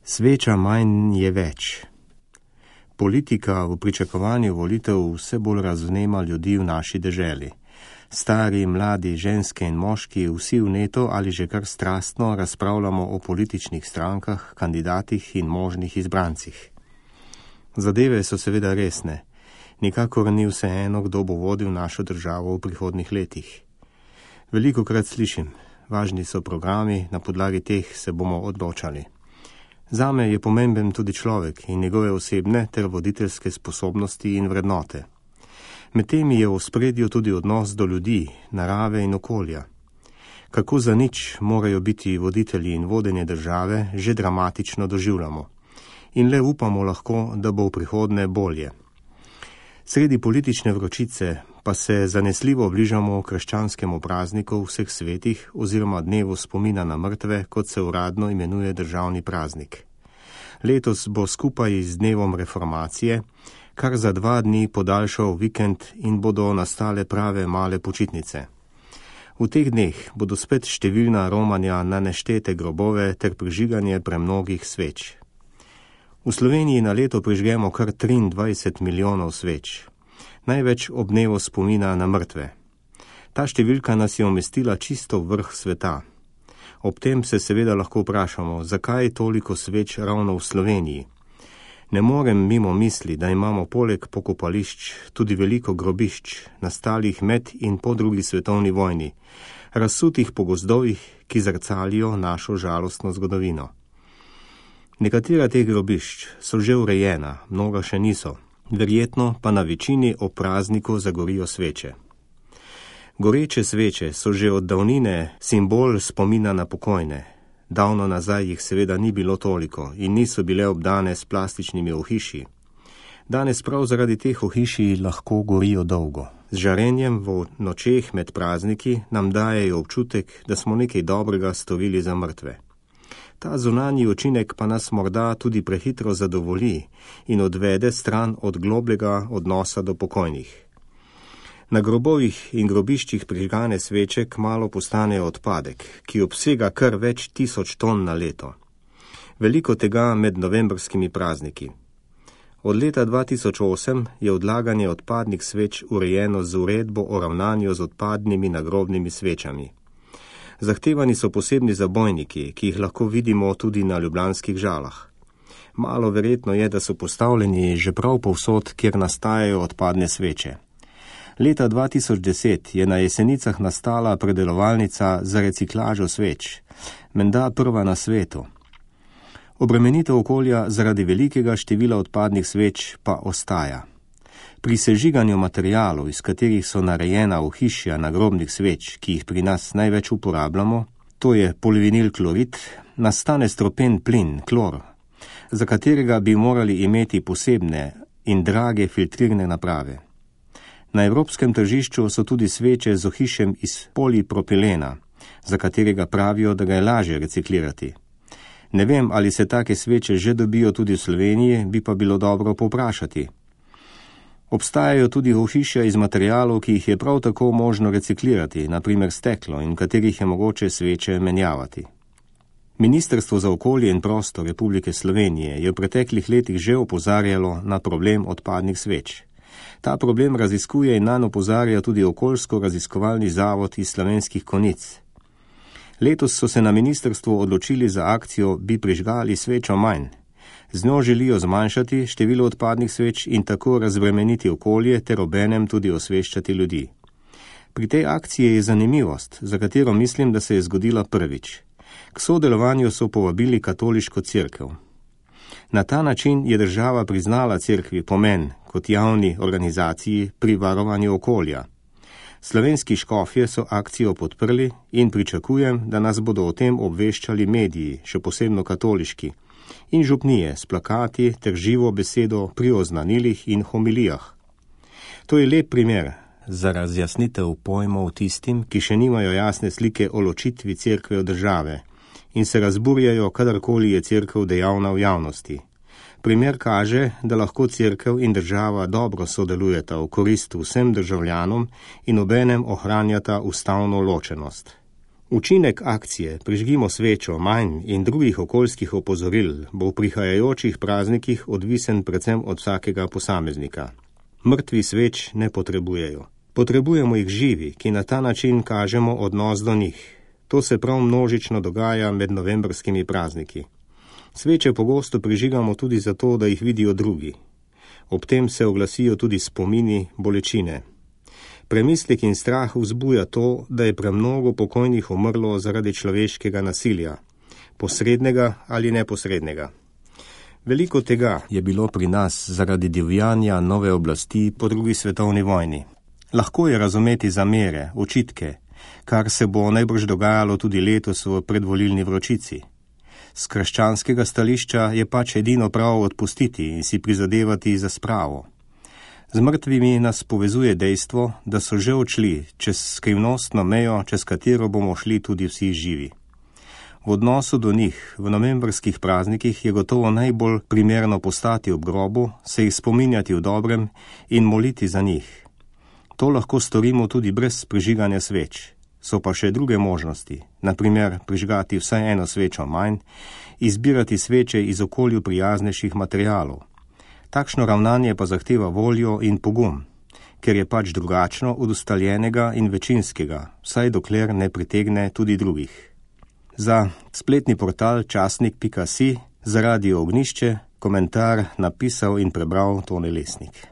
Sveča manj je več. Politika v pričakovanju volitev vse bolj razvnema ljudi v naši deželi. Stari, mladi, ženske in moški, vsi vneto ali že kar strastno razpravljamo o političnih strankah, kandidatih in možnih izbrancih. Zadeve so seveda resne. Nikakor ni vseeno, kdo bo vodil našo državo v prihodnjih letih. Velikokrat slišim, važni so programi, na podlagi teh se bomo odločali. Zame je pomemben tudi človek in njegove osebne ter voditeljske sposobnosti in vrednote. Med temi je v ospredju tudi odnos do ljudi, narave in okolja. Kako za nič morajo biti voditelji in vodenje države, že dramatično doživljamo. In le upamo lahko, da bo v prihodnje bolje. Sredi politične vročice pa se zanesljivo bližamo krščanskemu prazniku vseh svetih oziroma dnevu spomina na mrtve, kot se uradno imenuje državni praznik. Letos bo skupaj z dnevom reformacije kar za 2 dni podaljšal vikend in bodo nastale prave male počitnice. V teh dneh bodo spet številna romanja na neštete grobove ter prižiganje premnogih sveč. V Sloveniji na leto prižgemo kar 23 milijonov sveč. Največ ob dnevu spomina na mrtve. Ta številka nas je umestila čisto v vrh sveta. Ob tem se seveda lahko vprašamo, zakaj toliko sveč ravno v Sloveniji. Ne morem mimo misli, da imamo poleg pokopališč tudi veliko grobišč, nastalih med in po 2. svetovni vojni, razsutih po gozdovih, ki zrcalijo našo žalostno zgodovino. Nekatera teh grobišč so že urejena, mnoga še niso. Verjetno pa na večini ob prazniku zagorijo sveče. Goreče sveče so že od davnine simbol spomina na pokojne. Davno nazaj jih seveda ni bilo toliko in niso bile obdane s plastičnimi ohišji. Danes prav zaradi teh ohišij lahko gorijo dolgo. Z žarenjem v nočeh med prazniki nam dajejo občutek, da smo nekaj dobrega storili za mrtve. Ta zunanji učinek pa nas morda tudi prehitro zadovolji in odvede stran od globljega odnosa do pokojnih. Na grobovih in grobiščih prižgane sveče kmalu postanejo odpadek, ki obsega kar več 1000 ton na leto. Veliko tega med novembrskimi prazniki. Od leta 2008 je odlaganje odpadnih sveč urejeno z uredbo o ravnanju z odpadnimi nagrobnimi svečami. Zahtevani so posebni zabojniki, ki jih lahko vidimo tudi na ljubljanskih Žalah. Malo verjetno je, da so postavljeni že prav povsod, kjer nastajajo odpadne sveče. Leta 2010 je na Jesenicah nastala predelovalnica za reciklažo sveč, menda prva na svetu. Obremenitev okolja zaradi velikega števila odpadnih sveč pa ostaja. Pri sežiganju materialov, iz katerih so narejena ohišja nagrobnih sveč, ki jih pri nas največ uporabljamo, to je polivinil klorid, nastane stropen plin, klor, za katerega bi morali imeti posebne in drage filtrirne naprave. Na evropskem tržišču so tudi sveče z ohišjem iz polipropilena, za katerega pravijo, da ga je lažje reciklirati. Ne vem, ali se take sveče že dobijo tudi v Sloveniji, bi pa bilo dobro povprašati. Obstajajo tudi ohišja iz materialov, ki jih je prav tako možno reciklirati, naprimer steklo, in katerih je mogoče sveče menjavati. Ministrstvo za okolje in prostor Republike Slovenije je v preteklih letih že opozarjalo na problem odpadnih sveč. Ta problem raziskuje in nanj opozarja tudi okoljsko-raziskovalni zavod iz Slovenskih Konjic. Letos so se na ministrstvu odločili za akcijo Bi prižgali svečo manj. Z njo želijo zmanjšati število odpadnih sveč in tako razbremeniti okolje ter obenem tudi osveščati ljudi. Pri tej akciji je zanimivost, za katero mislim, da se je zgodila prvič. K sodelovanju so povabili katoliško cerkev. Na ta način je država priznala cerkvi pomen kot javni organizaciji pri varovanju okolja. Slovenski škofje so akcijo podprli in pričakujem, da nas bodo o tem obveščali mediji, še posebno katoliški, in župnije s plakati ter živo besedo pri oznanilih in homilijah. To je lep primer za razjasnitev pojmov tistim, ki še nimajo jasne slike o ločitvi cerkve od države in se razburjajo, kadarkoli je cerkev dejavna v javnosti. Primer kaže, da lahko cerkev in država dobro sodelujeta v korist vsem državljanom in obenem ohranjata ustavno ločenost. Učinek akcije Prižgimo svečo manj in drugih okoljskih opozoril bo v prihajajočih praznikih odvisen predvsem od vsakega posameznika. Mrtvi sveč ne potrebujejo. Potrebujemo jih živi, ki na ta način kažemo odnos do njih. To se prav množično dogaja med novembrskimi prazniki. Sveče pogosto prižigamo tudi zato, da jih vidijo drugi. Ob tem se oglasijo tudi spomini, bolečine. Premislek in strah vzbuja to, da je premnogo pokojnih umrlo zaradi človeškega nasilja, posrednega ali neposrednega. Veliko tega je bilo pri nas zaradi divjanja nove oblasti po drugi svetovni vojni. Lahko je razumeti zamere, očitke, kar se bo najbrž dogajalo tudi letos v predvolilni vročici. Z krščanskega stališča je pač edino prav odpustiti in si prizadevati za spravo. Z mrtvimi nas povezuje dejstvo, da so že odšli čez skrivnostno mejo, čez katero bomo šli tudi vsi živi. V odnosu do njih v novembrskih praznikih je gotovo najbolj primerno postati ob grobu, se jih spominjati v dobrem in moliti za njih. To lahko storimo tudi brez prižiganja sveč. So pa še druge možnosti, na primer prižgati vsaj eno svečo manj, izbirati sveče iz okolju prijaznejših materialov. Takšno ravnanje pa zahteva voljo in pogum, ker je pač drugačno od ustaljenega in večinskega, vsaj dokler ne pritegne tudi drugih. Za spletni portal časnik.si za Radio Ognišče komentar napisal in prebral Tone Lesnik.